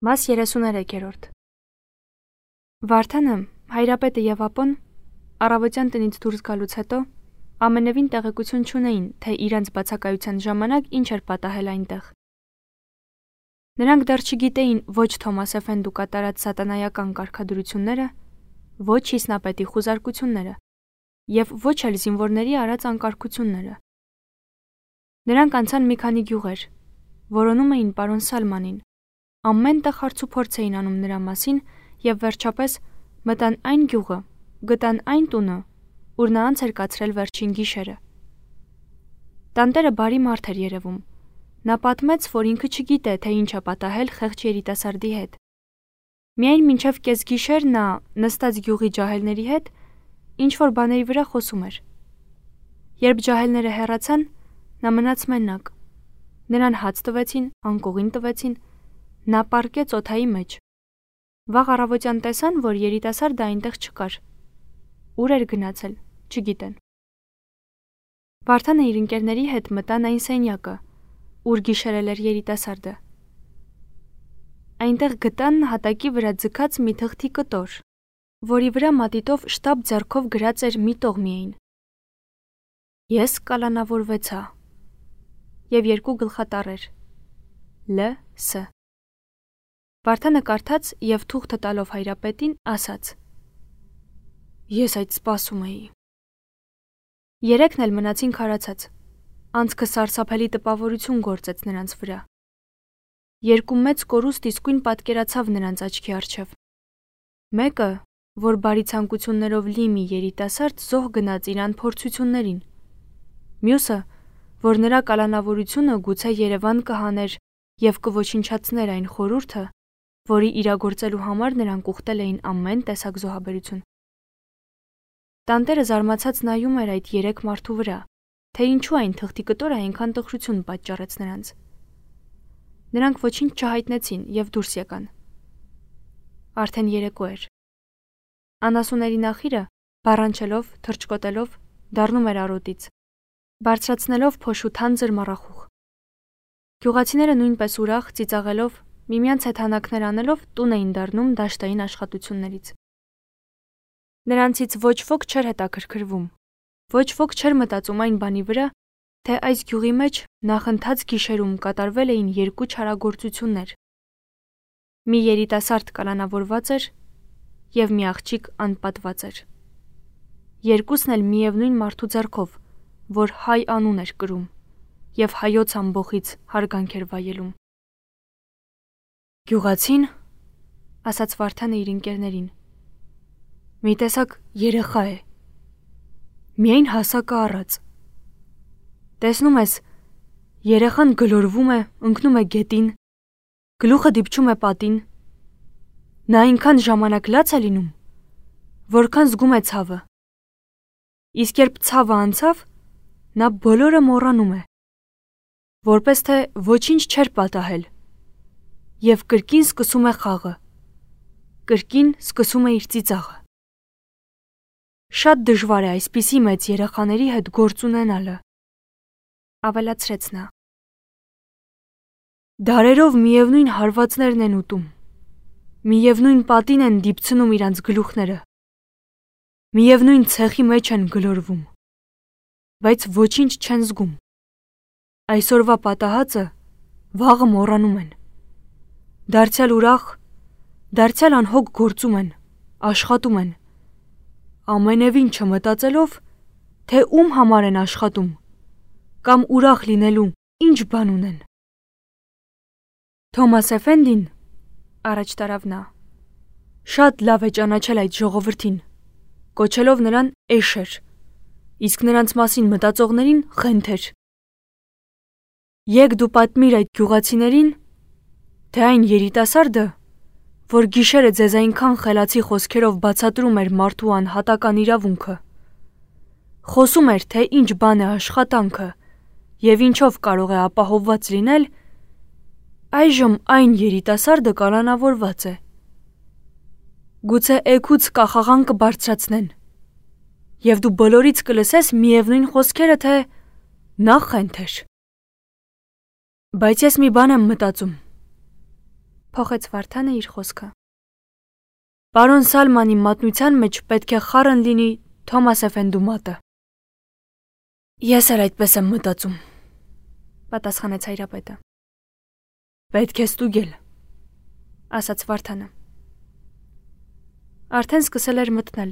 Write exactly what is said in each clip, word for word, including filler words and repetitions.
Մաս երեսուներեքերորդ Վարդանը, Հայրապետը և Ապոն առավոտյան տնից դուրս գալուց հետո ամենևին տեղեկություն չունեին, թե իրենց բացակայության ժամանակ ինչ էր պատահել այնտեղ։ Նրանք դեռ չգիտեին ոչ Թոմաս Էֆենդու կատարած սատանայական կարգադրությունները, ոչ Հիսնապետի խուզարկությունները և ոչ էլ զինվորների արած անկարգությունները։ Նրանք անցան մի քանի գյուղեր, որոնում էին պարոն Սալմանին, ամենտեղ հարցուփորձ էին անում նրա մասին և վերջապես մտան այն գյուղը, գտան այն տունը, ուր նա անց էր կացրել վերջին գիշերը։ Տանտերը բարի մարդ էր երևում։ Նա պատմեց, որ ինքը չգիտե, թե ինչ է պատահել խեղճ երիտասարդի հետ։ Միայն մինչև կեսգիշեր նա, նստած գյուղի ջահելների հետ, ինչ-որ բաների վրա խոսում էր։ Երբ ջահելները հեռացան, նա մնաց մենակ։ Նրան հաց տվեցին, անկողին տվեցին, նա պառկեց օդայի մեջ։ Վաղ առավոտյան տեսան, որ երիտասարդը այնտեղ չկար։ Ուր էր գնացել, չգիտեն։ Վարդանը իր ընկերների հետ մտան այն սենյակը, ուր գիշերել էր երիտասարդը։ Այնտեղ գտան հատակի վրա ձգած մի թղթի կտոր, որի վրա մատիտով շտապ ձեռքով գրած էր մի տող միայն. Ես կալանավորվեցա և երկու գլխատառեր Լ. Ս. Վարդանը կարդաց և թուղթը տալով Հայրապետին ասաց. Ես այդ սպասում էի։ Երեքն էլ մնացին քարացած։ Անցքը սարսափելի տպավորություն գործեց նրանց վրա։ Երկու մեծ կորուստ իսկույն պատկերացավ նրանց աչքի առջև։ Մեկը, որ բարի ցանկություններով լի մի երիտասարդ զոհ գնաց իր անփորձություններին։ Մյուսը, որ նրա կալանավորությունը գուցե Երևան կհաներ և կոչնչացներ այն խորհուրդը, որի իրագործելու համար նրանք ուխտել էին ամեն տեսակ զոհաբերություն։ Տանտերը զարմացած նայում էր այդ երեք մարդու վրա, թե ինչու այն թղթի կտորը այնքան տխրություն պատճառեց նրանց։ Նրանք ոչինչ չհայտնեցին և դուրս եկան։ Արդեն երեկո էր։ Անասուների նախիրը, բառանչելով, թռչկոտելով, դառնում էր արոտից, բարձրացնելով փոշու թանձր մառախուղ։ Գյուղացիները նույնպես ուրախ, ծիծաղելով, միմյանց հետ հանակներ անելով տուն էին դառնում դաշտային աշխատություններից։ Նրանցից ոչ ոք չէր հետաքրքրվում, ոչ ոք չէր մտածում այն բանի վրա, թե այս գյուղի մեջ նախընթաց գիշերում կատարվել էին երկու չարագործություններ։ Մի երիտասարդ կալանավորված էր և մի աղջիկ անպատված էր։ Երկուսն էլ միևնույն մարդու ձեռքով, որ հայ անուն էր կրում և հայոց ամբոխից հարգանք էր վայելում։ Գյուղացին, ասաց Վարդանը իր ընկերներին, մի տեսակ երեխա է, միայն հասակը առած։ Տեսնում ես, երեխան գլորվում է, ընկնում է գետին, գլուխը դիպչում է պատին։ Նա այնքան ժամանակ լաց է լինում, որքան զգում է ցավը։ Իսկ երբ ցավը անցավ, նա բոլորը մոռանում է, որպես թե ոչինչ չէր պատահել, և կրկին սկսում է խաղը, կրկին սկսում է իր ծիծաղը։ Շատ դժվար է այսպիսի մեծ երեխաների հետ գործ ունենալը, ավելացրեց նա։ Դարերով միևնույն հարվածներն են ուտում, միևնույն պատին են դիպցնում իրանց գլուխները, միևնույն ցեխի մեջ են գլորվում, բայց ոչինչ չեն զգում։ Այսօրվա պատահածը վաղը մոռանում են։ Դարձյալ ուրախ, դարձյալ անհոգ գործում են, աշխատում են, ամենևին չմտածելով, թե ում համար են աշխատում, կամ ուրախ լինելու ինչ բան ունեն։ Թոմաս Էֆենդին, առաջ տարավ նա, շատ լավ է ճանաչել այդ ժողովրդին, կոչելով նրան էշեր, իսկ նրանց մասին մտածողներին խենթեր։ Եկ դու պատմիր այդ գյուղացիներին, թե այն երիտասարդը, որ գիշերը ձեզ այնքան խելացի խոսքերով բացատրում էր մարդու անհատական իրավունքը, խոսում էր, թե ինչ բան է աշխատանքը և ինչով կարող է ապահովված լինել, այժմ այն երիտասարդը կալանավորված է։ Գուցե էգուց կախաղան կբարձրացնեն, և դու բոլորից կլսես միևնույն խոսքերը, թե նա խենթ էր։ Բայց ես մի բան եմ մտածում, Փոխեց Վարդանը իր խոսքը։ Պարոն Սալմանի մատնության մեջ պետք է խառն լինի Թոմաս Էֆենդու մատը։ Ես էլ այդպես եմ մտածում, պատասխանեց հայրապետը։ Պետք է ստուգել, ասաց Վարդանը։ Արդեն սկսել էր մթնել։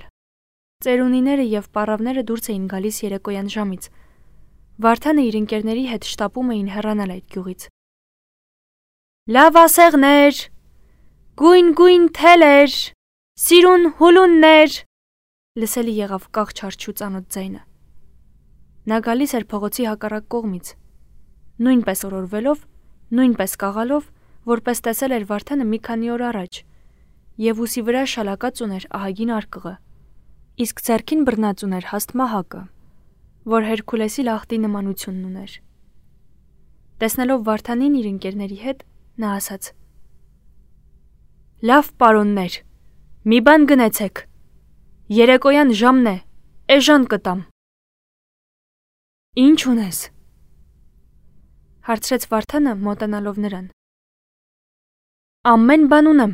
Ծերունիները եւ պառավները դուրս էին գալիս երեկոյան ժամից։ Վարդանը իր ընկերների հետ շտապում էին հեռանալ այդ գյուղից։ Լավ ասեղներ, գույն-գույն թելեր, սիրուն հուլուններ, լսելի եղավ կաղ չարչու ծանոթ ձայնը։ Նա գալիս էր փողոցի հակառակ կողմից, նույնպես օրորվելով, նույնպես կաղալով, որպես տեսել էր Վարդանը մի քանի օր առաջ, եւ ուսի վրա շալակած ուներ ահագին արկղը, իսկ ձեռքին բռնած ուներ հաստ մահակը, որ Հերքուլեսի լախտի նմանությունն ուներ։ Տեսնելով Վարդանին իր ընկերների հետ, նա ասաց. Լավ պարոններ, մի բան գնեցեք, երեկոյան ժամն է, էժան կտամ։ Ինչ ունես, հարցրեց Վարդանը մոտենալով նրան։ Ամեն բան ունեմ,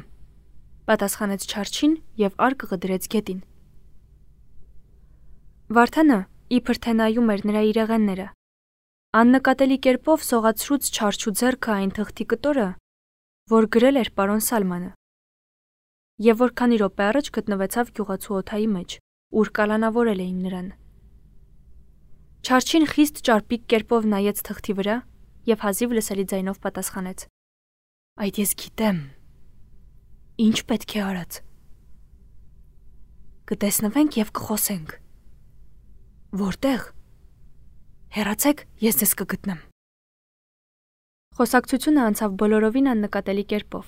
պատասխանեց Չարչին եւ արկղը դրեց գետին։ Վարդանը իբր թե նայում էր նրա իրեղենները, աննկատելի կերպով սողացրուց Չարչու ձեռքը այն թղթի կտորը, որ գրել էր պարոն Սալմանը, եւ որ քանի րոպե առաջ գտնվեցավ գյուղացու օթայի մեջ, ուր կալանավորել էին նրան։ Չարչին խիստ ճարպիկ կերպով նայեց թղթի վրա եւ հազիվ լսելի ձայնով պատասխանեց. Այդ ես գիտեմ։ Ինչ պետք է արած։ Կտեսնվենք եւ կխոսենք։ Որտեղ։ Հեռացեք, ես ձեզ կգտնեմ։ Խոսակցությունը անցավ բոլորովին աննկատելի կերպով։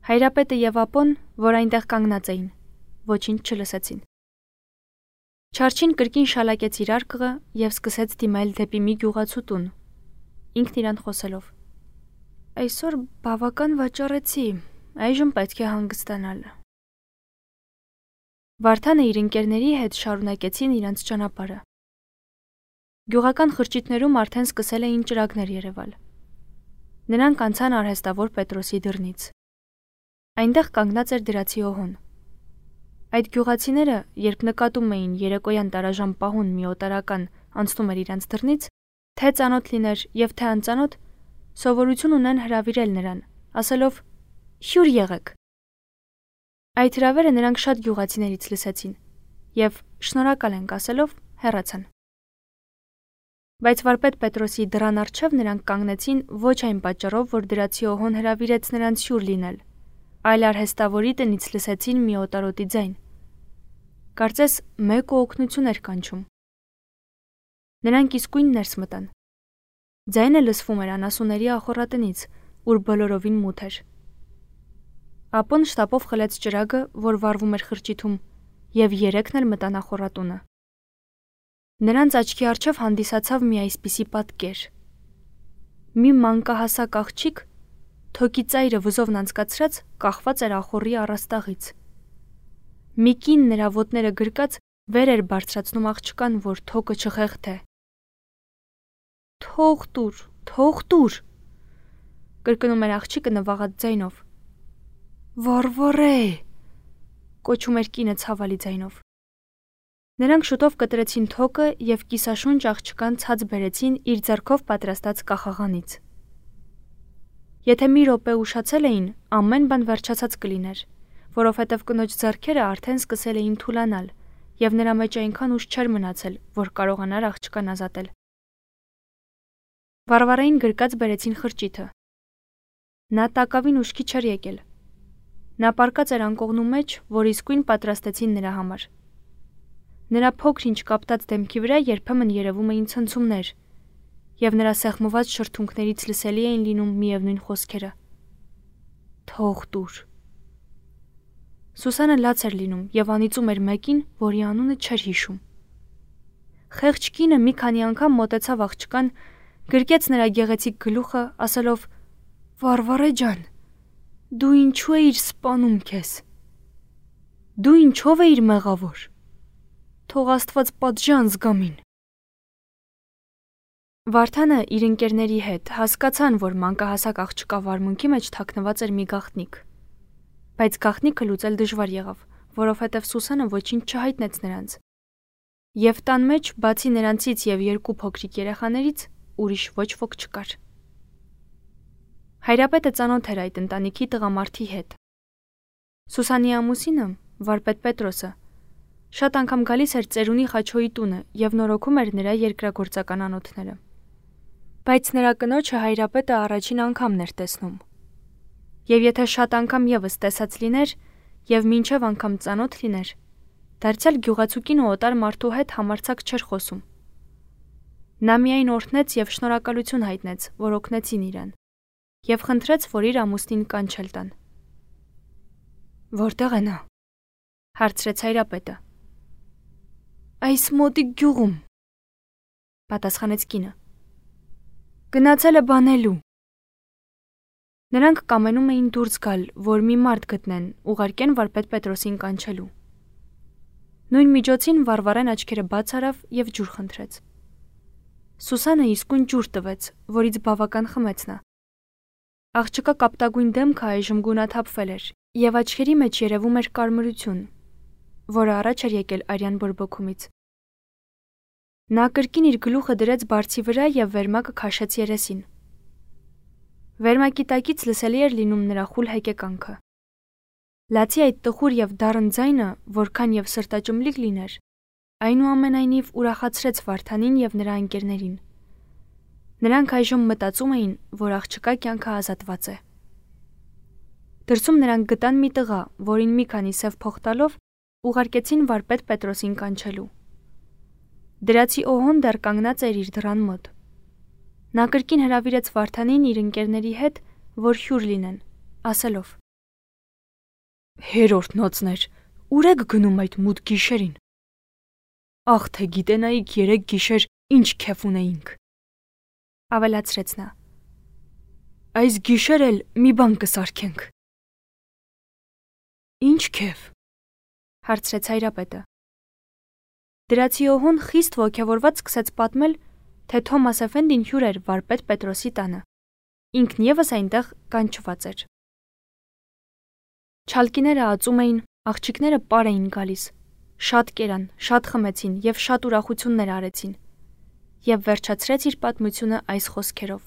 Հայրապետը եւ ապոն, որ այնտեղ կանգնած էին, ոչինչ չլսեցին։ Չարչին կրկին շալակեց իր արկղը եւ սկսեց դիմել դեպի մի գյուղացու տուն, ինքն իրան խոսելով. Այսօր բավական վաճառեցի, այժմ պետք է հանգստանալ։ Վարդանը իր ընկերների հետ շարունակեցին իրենց ճանապարհը։ Գյուղական խրճիթներում արդեն սկսել էին ճրագներ երևալ։ Նրանք անցան արհեստավոր Պետրոսի դռնից։ Այնտեղ կանգնած էր դրացի օհոն։ Այդ գյուղացիները, երբ նկատում էին երեկոյան տարաժամ պահուն մի օտարական անցնում էր իրենց դռնից, թե ծանոթ լիներ եւ թե անծանոթ, սովորություն ունեն հրավիրել նրան, ասելով. «Հյուր եղեք»։ Այդ հրավերը նրանք շատ գյուղացիներից լսեցին եւ շնորհակալ ենք ասելով հեռացան։ Բայց վարպետ Պետրոսի դռան առջև նրանք կանգնեցին ոչ այն պատճառով, որ դրացի օհոն հրավիրեց նրանց հյուր լինել, այլ արհեստավորի տնից լսեցին մի օտարոտի ձայն։ Կարծես մեկ ու օգնություն էր կանչում։ Նրանք իսկույն ներս մտան։ Ձայնը լսվում էր անասունների ախոռատնից, ուր բոլորովին մութ էր։ Ապոն շտապով խլեց ճրագը, որ վառվում էր խրճիթում, եւ երեքն էլ մտան ախոռատունը։ Նրանց աչքի առջև հանդիսացավ մի այսպիսի պատկեր։ Մի մանկահասակ աղջիկ, թոքի ծայրը վզովն անցկացրած, կախված էր ախոռի առաստաղից։ Մի կին նրա ոտները գրկած վեր էր բարձրացնում աղջկան, որ թոքը չխեղթե։ Թող տուր, թող տուր, կրկնում էր աղջիկը նվաղած ձայնով։ Վառվառե, կոչում էր կինը ցավալի ձայնով։ Նրանք շուտով կտրեցին թոքը եւ կիսաշունչ աղջկան ցած բերեցին իր ձեռքով պատրաստած կախաղանից։ Եթե մի րոպե ուշացել էին, ամեն բան վերջացած կլիներ, որովհետև կնոջ ձեռքերը արդեն սկսել էին թուլանալ, եւ նրա մեջ այնքան ուժ չէր մնացել, որ կարողանար աղջկան ազատել։ Վարվարային գրկած բերեցին խրճիթը։ Նա տակավին ուշքի չէր եկել։ Նա պառկած էր անկողնու մեջ, որ իսկույն պատրաստեցին նրա համար։ Նրա փոքր-ինչ կապտած դեմքի վրա երբեմն երևում էին ցնցումներ, եւ նրա սեղմված շրթունքներից լսելի էին լինում միևնույն խոսքերը. Թող տուր։ Սուսանը լաց էր լինում եւ անիծում էր մեկին, որի անունը չէր հիշում։ Խեղճ կինը մի քանի անգամ մոտեցավ աղջկան, գրկեց նրա գեղեցիկ գլուխը, ասելով. Վարվարե ջան, դու ինչու էիր սպանում քեզ։ Դու ինչով էիր մեղավոր։ Թող Աստված պատժի անզգամին։ Վարդանը իր ընկերների հետ հասկացան, որ մանկահասակ աղջկա վարմունքի մեջ թաքնված էր մի գաղտնիք։ Բայց գաղտնիքը լուծել դժվար եղավ, որովհետև Սուսանը ոչինչ չհայտնեց նրանց։ Եվ տան մեջ, բացի նրանցից եւ երկու փոքրիկ երեխաներից, ուրիշ ոչ ոք չկար։ Հայրապետը ծանոթ էր այդ ընտանիքի տղամարդի հետ։ Սուսանի ամուսինը, վարպետ Պետրոսը, շատ անգամ գալիս էր ծերունի Խաչոյի տունը եւ նորոգում էր նրա երկրագործական անոթները։ Բայց նրա կնոջը հայրապետը առաջին անգամն էր տեսնում։ Եվ եթե շատ անգամ եւս տեսած լիներ եւ մինչեւ անգամ ծանոթ լիներ, դարձյալ գյուղացուկին ու օտար մարդու հետ համարցակ չէր խոսում։ Նա միայն օրհնեց եւ շնորհակալություն հայտնեց, որ օգնեցին իրեն, եւ խնդրեց, որ իր ամուսնին կանչել տան։ Որտեղ է նա? Հարցրեց հայրապետը։ Այս մոտիկ գյուղում, պատասխանեց կինը։ Գնացել է բանելու։ Նրանք կամենում էին դուրս գալ, որ մի մարդ գտնեն, ուղարկեն վարպետ Պետրոսին կանչելու։ Նույն միջոցին Վարվարեն աչքերը բաց արավ եւ ջուր խնդրեց։ Սուսանը իսկույն ջուր տվեց, որից բավական խմեց նա։ Աղջկա կապտագույն դեմքը այժմ գունաթափվել էր, եւ աչքերի մեջ երևում էր կարմրություն, որը առաջ էր եկել արյան բորբոքումից։ Նա կրկին իր գլուխը դրեց բարձի վրա եւ վերմակը քաշեց երեսին։ Վերմակի տակից լսելի էր լինում նրա խուլ հեկեկանքը։ Լացի այդ տխուր եւ դառն ձայնը, որքան եւ սրտաճմլիկ լիներ, այնուամենայնիվ ուրախացրեց Վարդանին եւ նրա ընկերներին։ Նրանք այժմ մտածում էին, որ աղջկա կյանքը ազատված է։ Դրսում նրանք գտան մի տղա, որին մի քանի սև փող տալով ուղարկեցին վարպետ Պետրոսին կանչելու։ Դրացի օհոն դեռ կանգնած էր իր դռան մոտ։ Նա կրկին հրավիրեց Վարդանին իր ընկերների հետ, որ հյուր լինեն, ասելով. Հերորդնոցներ, ուր եք գնում այդ մութ գիշերին։ Ախ, թե գիտենայիք երեք գիշեր ինչ քեֆ ունեինք։ Ավելացրեց նա. Այս գիշեր էլ մի բան կսարքենք։ Ինչ քեֆ, հարցրեց հայրապետը։ Դրացի օհոն խիստ ոգևորված սկսեց պատմել, թե Թոմաս Էֆենդին հյուր էր վարպետ Պետրոսի տանը։ Ինքն եւս այնտեղ կանչված էր։ Չալկիները ածում էին, աղջիկները պար էին գալիս, շատ կերան, շատ խմեցին եւ շատ ուրախություններ արեցին։ Եվ վերջացրեց իր պատմությունը այս խոսքերով.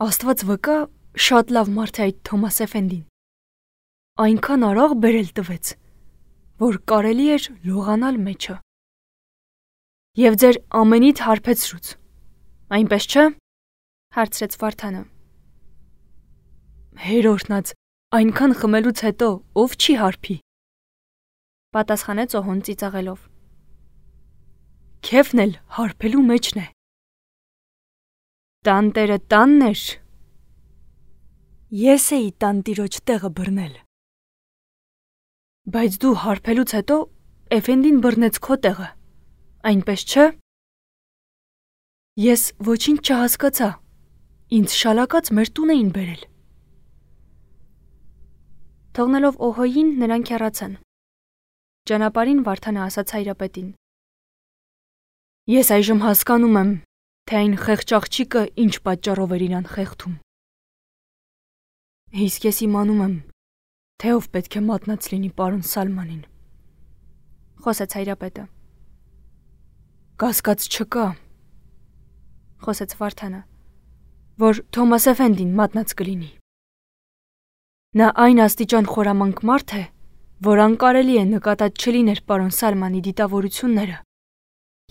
Աստված վկա, շատ լավ մարդ է այդ Թոմաս Էֆենդին։ Այնքան արաղ բերել տվեց, որ կարելի էր լողանալ մեջը։ Եվ ձեր ամենից հարբեցրուց, այնպես չէ, հարցրեց Վարդանը։ Հերորդնած, այնքան խմելուց հետո ով չի հարբի, պատասխանեց օհոն ծիծաղելով։ Քեֆն էլ հարբելու մեջն է։ Տանտերը տանն էր։ Ես էի տանտիրոջ տեղը բռնել։ Բայց դու հարբելուց հետո Էֆենդին բռնեց քո տեղը, այնպես չէ։ Ես ոչինչ չհասկացա, ինձ շալակած մեր տուն էին բերել։ Թողնելով օհոյին նրանք հեռացան։ Ճանապարհին Վարդանը ասաց հայրապետին. Ես այժմ հասկանում եմ, թե այն խեղճ աղջիկը ինչ պատճառով էր իրան խեղդում։ Իսկ ես իմանում եմ, թե ով պետք է մատնած լինի պարոն Սալմանին, խոսեց հայրապետը։ Կասկած չկա, խոսեց Վարդանը, որ Թոմաս Էֆենդին մատնած կլինի։ Նա այն աստիճան խորամանկ մարդ է, որ անկարելի է նկատած չլիներ պարոն Սալմանի դիտավորությունները,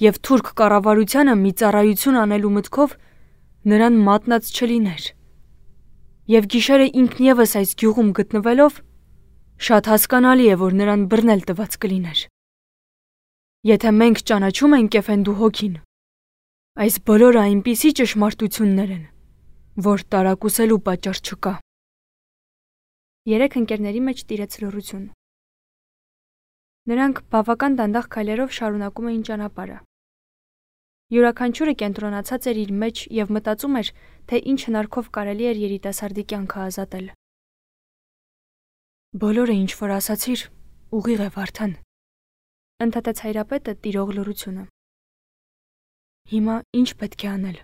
եւ թուրք կառավարությանը մի ծառայություն անելու մտքով նրան մատնած չլիներ։ Եվ գիշերը ինքն եւս այս գյուղում գտնվելով շատ հասկանալի է, որ նրան բռնել տված կլիներ։ Եթե մենք ճանաչում ենք Էֆենդու հոգին, այս բոլորը այնպիսի ճշմարտություններ են, որ տարակուսելու պատճառ չկա։ Երեք ընկերների մեջ տիրեց լռություն։ Նրանք բավական դանդաղ քայլերով շարունակում էին ճանապարհը։ Յուրաքանչյուրը կենտրոնացած էր իր մեջ եւ մտածում էր, թե ինչ հնարքով կարելի էր երիտասարդի կյանքը ազատել։ Բոլորը ինչ որ ասացիր, ուղիղ է Վարդան, ընդհատեց հայրապետը տիրող լռությունը։ Հիմա ինչ պետք է անել։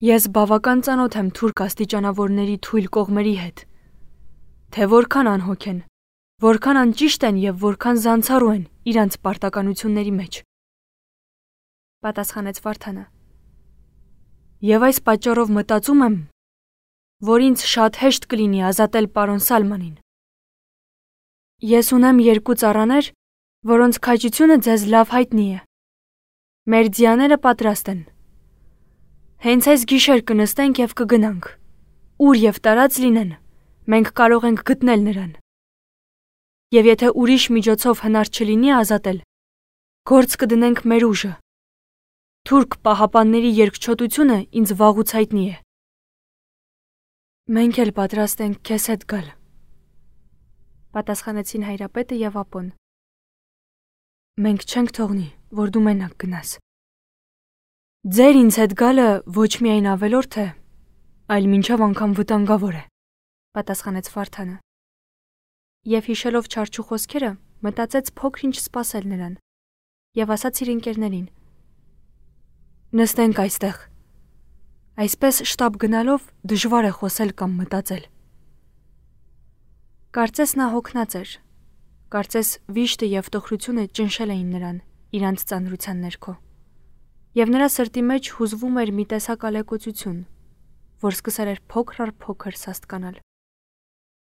Ես բավական ծանոթ եմ թուրք աստիճանավորների թույլ կողմերի հետ, թե որքան անհոգ են, որքան անճիշտ են եւ որքան զանցառու են իրանց պարտականությունների մեջ։ Պատասխանեց Վարդանը։ Եվ այս պատճառով մտածում եմ, որ ինձ շատ հեշտ կլինի ազատել պարոն Սալմանին։ Ես ունեմ երկու ծառաներ, որոնց քաջությունը ձեզ լավ հայտնի է։ Մեր ձիաները պատրաստ են։ Հենց այս գիշեր կնստենք եւ կգնանք։ Ուր եւ տարած լինեն, մենք կարող ենք գտնել նրան։ Եվ եթե ուրիշ միջոցով հնար չլինի ազատել, գործ կդնենք մեր ուժը։ Թուրք պահապանների երկչոտությունը ինձ վաղուց հայտնի է։ Մենք էլ պատրաստ ենք քեզ հետ գալ, պատասխանեցին հայրապետը եւ ապոն։ Մենք չենք թողնի, որ դու մենակ գնաս։ Ձեր ինձ հետ գալը ոչ միայն ավելորդ է, այլ մինչև անգամ վտանգավոր է, պատասխանեց Վարդանը։ Եվ հիշելով չարչու խոսքերը, մտածեց փոքր-ինչ սպասել նրան եւ ասաց իր ընկերներին. Նստենք այստեղ։ Այսպես շտապ գնալով դժվար է խոսել կամ մտածել։ Կարծես նա հոգնած էր։ Կարծես վիշտը եւ տխրությունը ճնշել էին նրան իրանց ծանրության ներքո։ Եվ նրա սրտի մեջ հուզվում էր մի տեսակ ալեկոծություն, որ սկսել էր փոքր առ փոքր սաստկանալ։